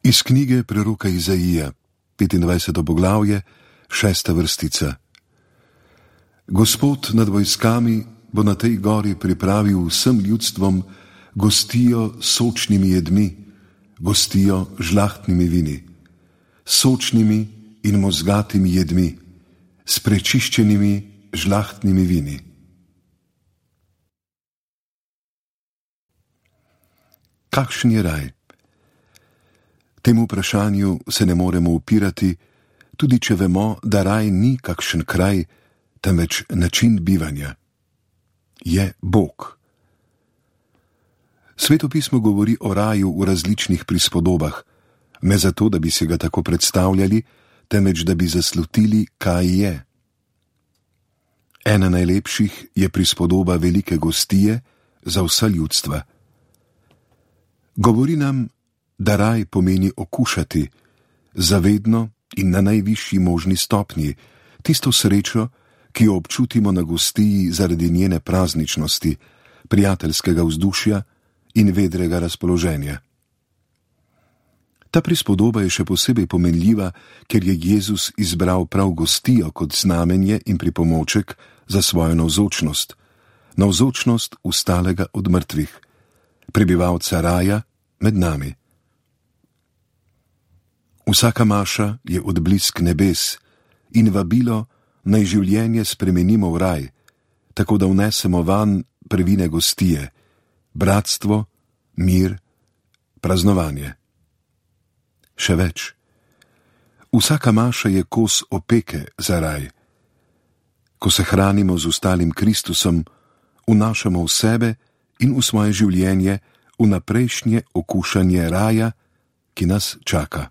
Iz knjige preroka Izaija, 25. poglavje, 6. vrstica. Gospod nad vojskami bo na tej gori pripravil vsem ljudstvom gostijo s sočnimi jedmi, gostijo žlahtnimi vini, sočnimi in mozgatimi jedmi, s prečiščenimi žlahtnimi vini. Kakšen je raj? Temu vprašanju se ne moremo upirati, tudi če vemo, da raj ni kakšen kraj, temveč način bivanja. Je Bog. Sveto pismo govori o raju v različnih prispodobah, ne zato, da bi se ga tako predstavljali, temveč da bi zaslutili, kaj je. Ena najlepših je prispodoba velike gostije za vsa ljudstva. Govori nam, da raj pomeni okušati, zavedno in na najvišji možni stopnji, tisto srečo, ki jo občutimo na gostiji zaradi njene prazničnosti, prijateljskega vzdušja in vedrega razpoloženja. Ta prispodoba je še posebej pomenljiva, ker je Jezus izbral prav gostijo kot znamenje in pripomoček za svojo navzočnost, navzočnost vstalega od mrtvih, prebivalca raja med nami. Vsaka maša je odblisk nebes in vabilo, naj življenje spremenimo v raj, tako da vnesemo vanj prvine gostije, bratstvo, mir, praznovanje. Še več. Vsaka maša je kos opeke za raj. Ko se hranimo z ostalim Kristusom, vnašamo v sebe in v svoje življenje vnaprejšnje okušanje raja, ki nas čaka.